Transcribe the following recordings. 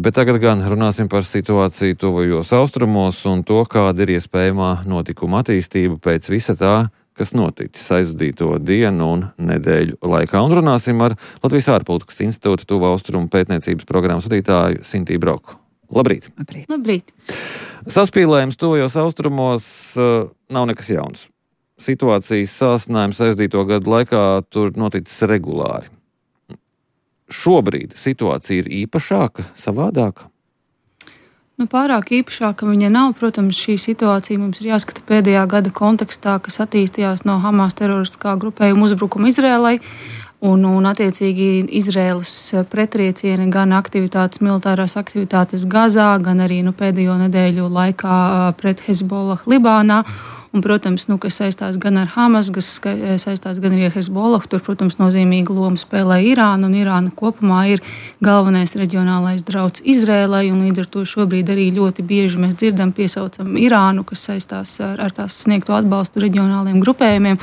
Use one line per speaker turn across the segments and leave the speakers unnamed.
Bet tagad gan runāsim par situāciju tuvajos austrumos un to, kāda ir iespējamā notikuma attīstība pēc visa tā, kas noticis aizvadīto dienu un nedēļu laikā. Un runāsim ar Latvijas ārpolitikas institūta Tuvu austrumu pētniecības programmas vadītāju Sintīnu Broku. Labrīt!
Labrīt!
Saspīlējums tuvajos austrumos nav nekas jauns. Situācijas sāsinājums aizvadīto gadu laikā tur noticis regulāri. Šobrīd situācija ir īpašāka, savādāka?
Pārāk īpašāka viņa nav. Protams, šī situācija mums ir jāskata pēdējā gada kontekstā, kas attīstījās no Hamas teroristiskā grupējuma uzbrukuma Izrēlai. Un attiecīgi Izraēlas pretriecieni gan militārās aktivitātes Gazā, gan arī pēdējo nedēļu laikā pret Hezbollah Libānā. Un, protams, kas saistās gan ar Hamas, kas saistās gan arī ar Hezbollah, tur, protams, nozīmīgu lomu spēlē Irāna, un Irāna kopumā ir galvenais reģionālais drauds Izrēlai, un līdz ar to šobrīd arī ļoti bieži mēs piesaucam Irānu, kas saistās ar tās sniegto atbalstu reģionāliem grupējumiem.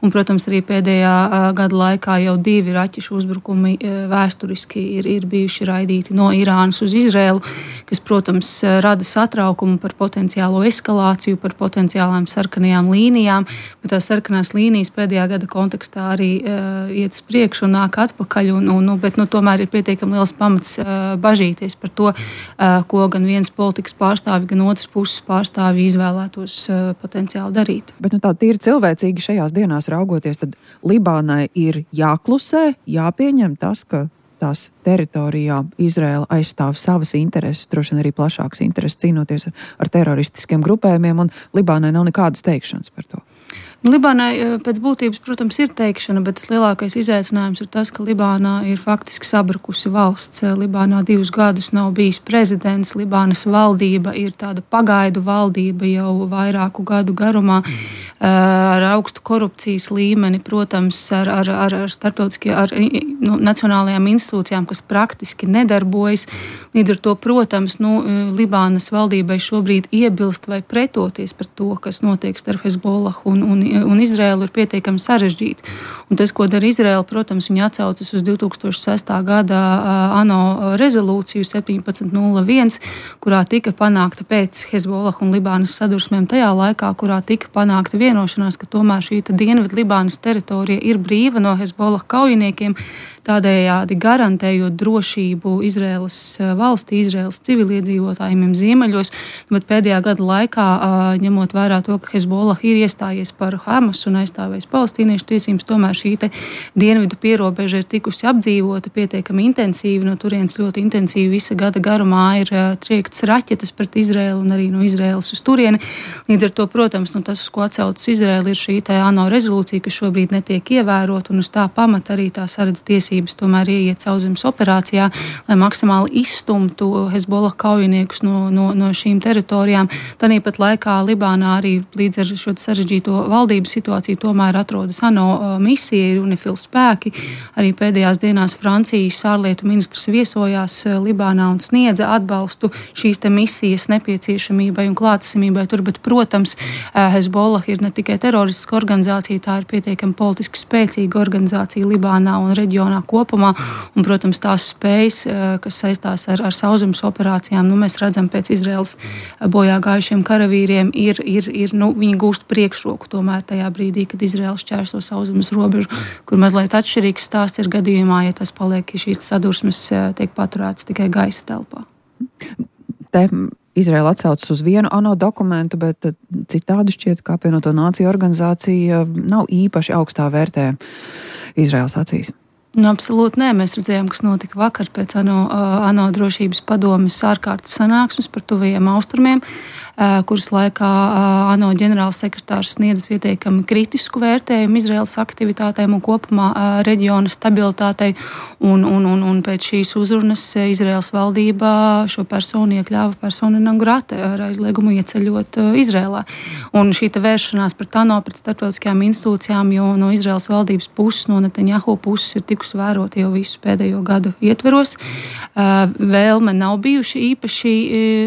Un, protams, arī pēdējā gada laikā jau 2 raķešu uzbrukumi vēsturiski ir bijuši raidīti no Irānas uz Izrēlu, kas, protams, rada satraukumu par potenciālo eskalāciju, par potenciālām sarkanajām līnijām, bet tās sarkanās līnijas pēdējā gada kontekstā arī iet uz priekšu un nāk atpakaļ, bet tomēr ir pietiekami liels pamats bažīties par to, ko gan viens politikas pārstāvi, gan otras puses pārstāvi izvēlētos potenciāli darīt.
Bet tā tīri cilvēcīgi šajās dienās raugoties, tad Libānai ir jāklusē, jāpieņem tas, ka tās teritorijā Izraela aizstāv savas intereses, droši vien arī plašākas intereses cīnoties ar teroristiskiem grupējumiem, un Libānai nav nekādas teikšanas par to.
Libānai pēc būtības, protams, ir teikšana, bet tas lielākais izaicinājums ir tas, ka Libānā ir faktiski sabrukusi valsts. Libānā 2 gadus nav bijis prezidents, Libānas valdība ir tāda pagaidu valdība jau vairāku gadu garumā, ar augstu korupcijas līmeni, protams, ar nacionālajām institūcijām, kas praktiski nedarbojas. Līdz ar to, protams, Libānas valdībai šobrīd iebilst vai pretoties par to, kas notiek starp Hezbollah un Izraēlu, ir pietiekami sarežģīti. Un tas, ko dara Izraēla, protams, viņi atsaucas uz 2006. Gada ANO rezolūciju 1701, kurā tika panākta pēc Hezbollah un Libānas sadursmēm tajā laikā, kurā tika panākta vienošanās, ka tomēr šī Dienvidu Libānas teritorija ir brīva no Hezbollah kaujiniekiem, tādējādi garantējot drošību Izraēlas valstī, Izraēlas civiliedzīvotājiem ziemeļos, bet pēdējā gada laikā, ņemot vērā to, ka Hezbollah ir iestājies par Hamas un aizstāvējis palestīniešu tiesības, tomēr šī dienvidu pierobeža ir tikusi apdzīvota pietiekami intensīvi, no turienes ļoti intensīvi visa gada garumā ir triektas raķetes pret Izraēlu un arī no Izraēlas uz turieni. Līdz ar to, protams, tas, uz ko atsaucas Izraēla, ir šī ANO rezolūcija, kas šobrīd netiek ievērota, un uz tā pamata arī tā saredz tiesības tomēr ieiet sauszemes operācijā, lai maksimāli izstumtu Hezbollah kaujiniekus no šīm teritorijām. Tāpat laikā Libānā arī līdz ar šo sarežģīto valdības situāciju tomēr atrodas ANO misija, ir UNIFIL spēki. Arī pēdējās dienās Francijas ārlietu ministrs viesojās Libānā un sniedza atbalstu šīs misijas nepieciešamībai un klātesamībai tur, bet, protams, Hezbollah ir ne tikai teroristiska organizācija, tā ir pietiekami politiski spēcīga organizācija Libānā un reģionā kopumā, un, protams, tās spējas, kas saistās ar sauszemes operācijām, mēs redzam pēc Izraēlas bojā gājušiem karavīriem, viņi gūst priekšroku tomēr tajā brīdī, kad Izraēla šķērso sauszemes robežu, kur mazliet atšķirīgs stāsts ir gadījumā, ja tas paliek, ja šīs sadursmes tiek paturētas tikai gaisa telpā.
Te Izraēla atsaucas uz vienu ANO dokumentu, bet citādi šķiet, ka apvienoto nāciju organizācija nav īpaši augstā vērtē Izraēlas acīs.
Absolūti nē. Mēs redzējām, kas notika vakar pēc ANO drošības padomes ārkārtas sanāksmes par tuvajiem austrumiem, kuras laikā ANO ģenerāls sekretārs sniedz pietiekami kritisku vērtējumu Izraēlas aktivitātēm un kopumā reģiona stabilitātei. Un pēc šīs uzrunas Izraēlas valdība šo personu iekļāva persona non grata ar aizliegumu ieceļot Izraēlā. Un šī vēršanās pret ANO, pret starptautiskajām institūcijām, jo no Izraēlas valdības puses, no Netanjahu puses ir tikusi vērot jau visu pēdējo gadu ietveros. Vēlme nav bijuši īpaši,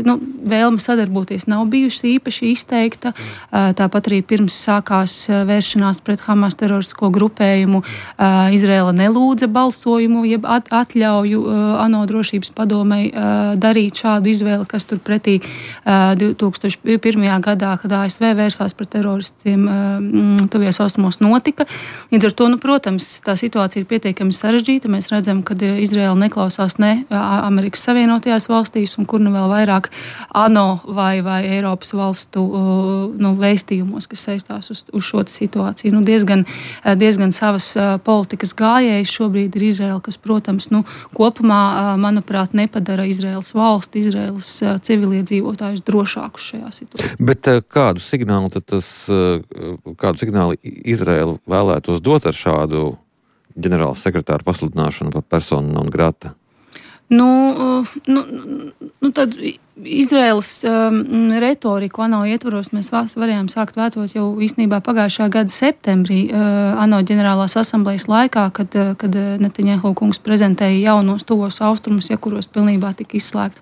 vēlme sadarboties nav nav bijusi īpaši izteikta. Tāpat arī pirms sākās vēršanās pret Hamas teroristisko grupējumu, Izraela nelūdza balsojumu, jeb atļauju ANO drošības padomei darīt šādu izvēli, kas tur pretī 2001. gadā, kad ASV vērsās pret teroristiem tuvijos austrumos notika. Līdz ar to, protams, tā situācija ir pietiekami sarežģīta. Mēs redzam, ka Izraela neklausās ne Amerikas Savienotajās valstīs un kur nu vēl vairāk ANO vai Eiropas valstu vēstījumos, kas saistās uz šo situāciju. Diezgan savas politikas gājējs šobrīd ir Izraela, kas, protams, kopumā, manuprāt, nepadara Izraels valsti, Izraels civiliedzīvotājus drošākus šajā situācijā.
Bet kādu signālu Izraela vēlētos dot ar šādu ģenerāla sekretāra pasludināšanu par personu non grata?
Tad Izraēlas retoriku ANO ietvaros mēs varējām sākt vētot jau īstenībā pagājušā gada septembrī ANO ģenerālās asamblejas laikā, kad Netanjahu kungs prezentēja jaunos tuvos austrumus, kuros pilnībā tika izslēgta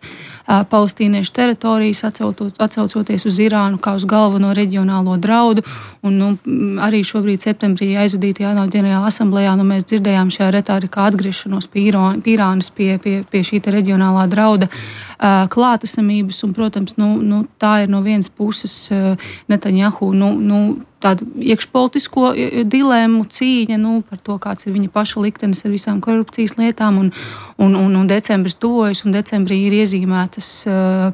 palestīniešu teritorijas, atcaucoties uz Irānu kā uz galveno reģionālo draudu. Un arī šobrīd septembrī aizvadītajā ANO ģenerālā asamblejā mēs dzirdējām šajā retorikā atgriešanos pie Irānas, pie šī reģionālā drauda klātesamības, un, protams, tā ir no vienas puses Netanjahu, tādu iekšpolitisko dilemmu, cīņa par to, kāds ir viņa paša liktenis ar visām korupcijas lietām, un decembris tuvojas, un decembrī ir iezīmētas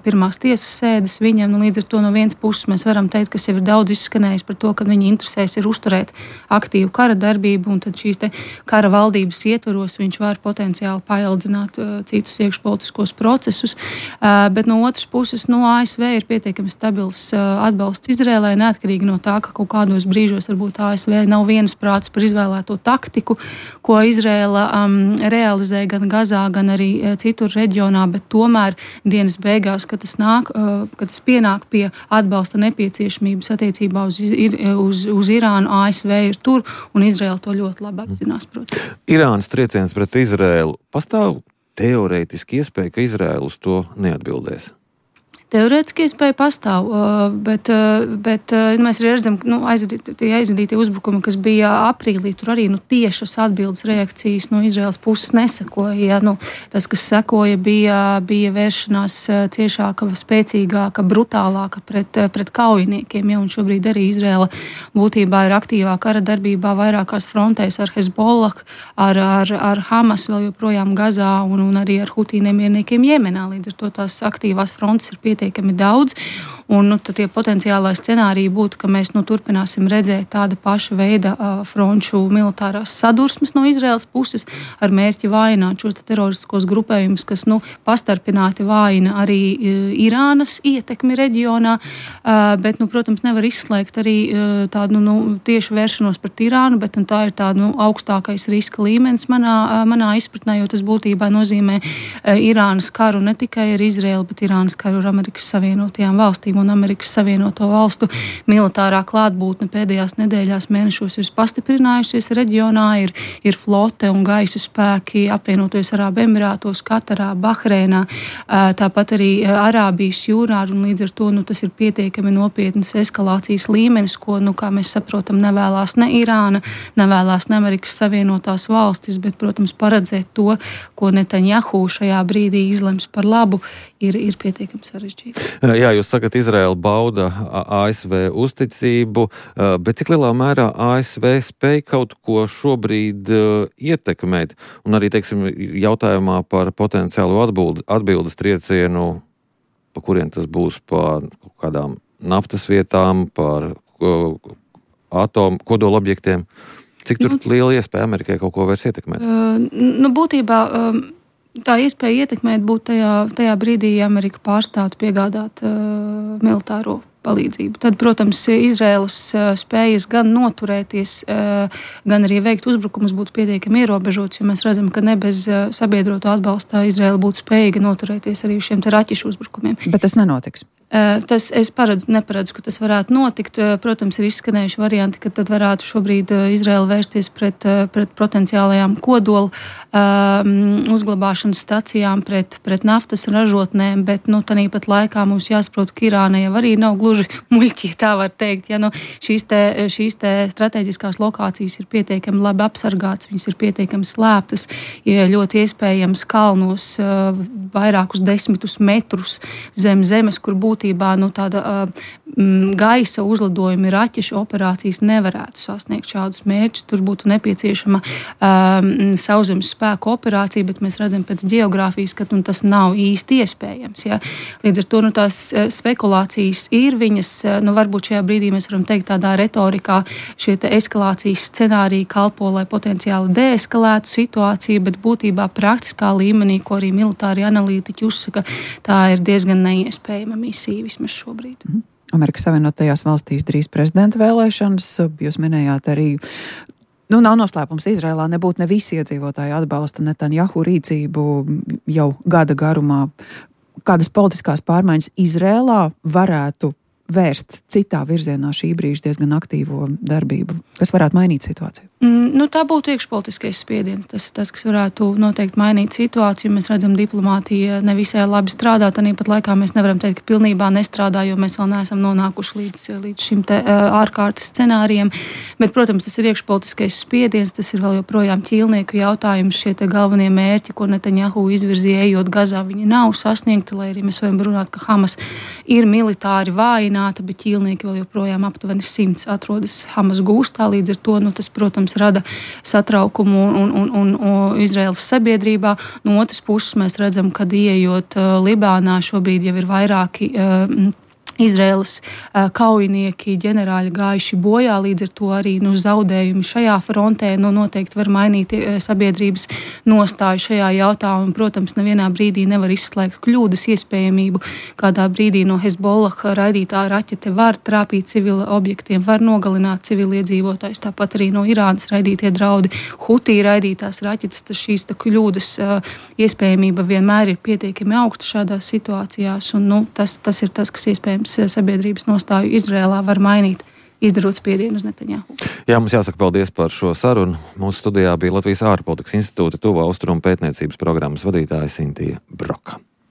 pirmās tiesas sēdes viņam. Līdz ar to no vienas puses mēs varam teikt, kas jau ir daudz izskanējis par to, ka viņa interesēs ir uzturēt aktīvu kara darbību, un tad šīs kara valdības ietvaros viņš var potenciāli paildzināt citus iekšpolitiskos procesus. Bet no otras puses, ASV ir pietiekami stabils atbalsts Izrēlai, neatkarīgi no tā, ka kaut kādos brīžos varbūt ASV nav vienas prāts par izvēlēto taktiku, ko Izrēla realizē gan Gazā, gan arī citur reģionā, bet tomēr dienas beigās, kad tas pienāk pie atbalsta nepieciešamības attiecībā uz Irānu, ASV ir tur, un Izrēla to ļoti labi apzinās, protams.
Irānas trieciens pret Izrēlu pastāv teorētiski iespēja, ka Izrēla uz to neatbildēs?
Teorētiski iespēja pastāv, bet mēs arī redzam, aizvadītie uzbrukumi, kas bija aprīlī, tur arī tiešas atbildes reakcijas no Izraēlas puses nesekoja. Tas, kas sekoja, bija vēršanās ciešāka, spēcīgāka, brutālāka pret kaujiniekiem, un šobrīd arī Izraēla būtībā ir aktīvā kara darbībā vairākās frontēs ar Hezbollah, ar Hamas vēl joprojām Gazā un arī ar Hutī nemierniekiem Jemenā. Līdz ar to tās aktīvās frontes ir pietiekami daudz, un tad tie potenciālai scenāriji būtu, ka mēs turpināsim redzēt tāda paša veida fronču militārās sadursmes no Izraēlas puses ar mērķi vājināt šos teroristiskos grupējumus, kas pastarpināti vājina arī Irānas ietekmi reģionā, bet, protams, nevar izslēgt arī tādu tieši vēršanos pret Irānu, bet tā ir tāda augstākais riska līmenis manā izpratnē, jo tas būtībā nozīmē Irānas karu ne tikai ar Izraēlu, bet Irānas karu ar Amerikas Savienotajām valstīm, un Amerikas Savienoto valstu militārā klātbūtne pēdējās nedēļās, mēnešos ir pastiprinājusies reģionā, ir flote un gaisa spēki apvienotajos Arābu Emirātos, Katarā, Bahreinā, tāpat arī Arābijas jūrā, un līdz ar to tas ir pietiekami nopietnas eskalācijas līmenis, ko, kā mēs saprotam, nevēlās ne Irāna, nevēlās ne Amerikas Savienotās valstis, bet, protams, paredzēt to, ko Netanjahu šajā brīdī izlems par labu, ir pietiekami sarežģīti.
Jā, jūs sakat, Izraēla bauda ASV uzticību, bet cik lielā mērā ASV spēj kaut ko šobrīd ietekmēt? Un arī, jautājumā par potenciālu atbildes triecienu, pa kuriem tas būs, par kādām naftas vietām, par kodola objektiem. Cik tur liela iespēja Amerikai kaut ko vairs ietekmēt?
Būtībā tā iespēja ietekmēt būtu tajā brīdī, ja Amerika pārstātu piegādāt militāro palīdzību. Tad, protams, Izraēlas spējas gan noturēties, gan arī veikt uzbrukumus būtu pietiekami ierobežotas, jo mēs redzam, ka ne bez sabiedroto atbalsta Izraēla būtu spējīga noturēties arī šiem raķešu uzbrukumiem.
Bet tas nenotiks.
Es neparedzu, ka tas varētu notikt. Protams, ir izskanējuši varianti, ka tad varētu šobrīd Izraela vērsties pret potenciālajām kodola uzglabāšanas stacijām, pret naftas ražotnēm, bet tāpat laikā mums jāsaprot, ka Irāna jau arī nav gluži muļķi, tā var teikt. Ja, šīs te strateģiskās lokācijas ir pietiekami labi apsargātas, viņas ir pietiekami slēptas, ja ļoti iespējams kalnos vairākus 10 metrus zem zemes, kur būtībā tāda gaisa uzlidojumi, raķešu operācijas nevarētu sasniegt šādus mērķus. Tur būtu nepieciešama sauszemes spēku operācija, bet mēs redzam pēc geogrāfijas, ka tas nav īsti iespējams. Ja? Līdz ar to tās spekulācijas ir viņas, varbūt šajā brīdī mēs varam teikt tādā retorikā, šie eskalācijas scenāriji kalpo, lai potenciāli deeskalētu situāciju, bet būtībā praktiskā līmenī, ko arī militāri analītiķi uzsaka, tā ir diezgan neiespējama misija vismaz šobrīd.
Amerikas Savienotajās valstīs drīz prezidenta vēlēšanas. Jūs minējāt arī, nav noslēpums, Izrēlā nebūtu ne visi iedzīvotāji atbalsta Netanjahu rīcību jau gada garumā. Kādas politiskās pārmaiņas Izrēlā varētu vērst citā virzienā šī brīža diezgan aktīvo darbību, kas varētu mainīt situāciju?
Tā būtu iekšpolitiskais spiediens. Tas ir tas, kas varētu noteikti mainīt situāciju. Mēs redzam, diplomātija nevisai labi strādā. Tāpat laikā mēs nevaram teikt, ka pilnībā nestrādā, jo mēs vēl neesam nonākuši līdz šim te ārkārtas scenārijiem. Bet, protams, tas ir iekšpolitiskais spiediens, tas ir vēl joprojām ķīlnieku jautājums. Šie te galvenie mērķi, ko Netanjahu izvirzīja ejot Gazā, viņi nav sasniegti, lai arī mēs varam runāt, ka Hamas ir militāri vājināta, bet ķīlnieki vēl joprojām aptuveni 100 atrodas Hamas gūstā. Līdz ar to, tas, protams, rada satraukumu un Izraēlas sabiedrībā. No otras puses mēs redzam, ka ieejot Libānā šobrīd jau ir vairāki Izraēlas kaujinieki, ģenerāļi gājuši bojā, līdz ar to arī zaudējumi šajā frontē noteikti var mainīt sabiedrības nostāju šajā jautājumā. Protams, nevienā brīdī nevar izslēgt kļūdas iespējamību. Kādā brīdī no Hezbollah raidītā raķete var trāpīt civila objektiem, var nogalināt civiliedzīvotājus. Tāpat arī no Irānas raidītie draudi, Hutī raidītās raķetes, šīs kļūdas iespējamība vienmēr ir pietiekami augsta šādās situācijās. Un, tas ir tas, kas iespējams sabiedrības nostāju Izrēlā var mainīt, izdarot spiedienu uz Netanjahu.
Jā, mums jāsaka paldies par šo sarunu. Mūsu studijā bija Latvijas ārpolitikas institūta Tuvā Austrumu pētniecības programmas vadītāja Sintija Broka.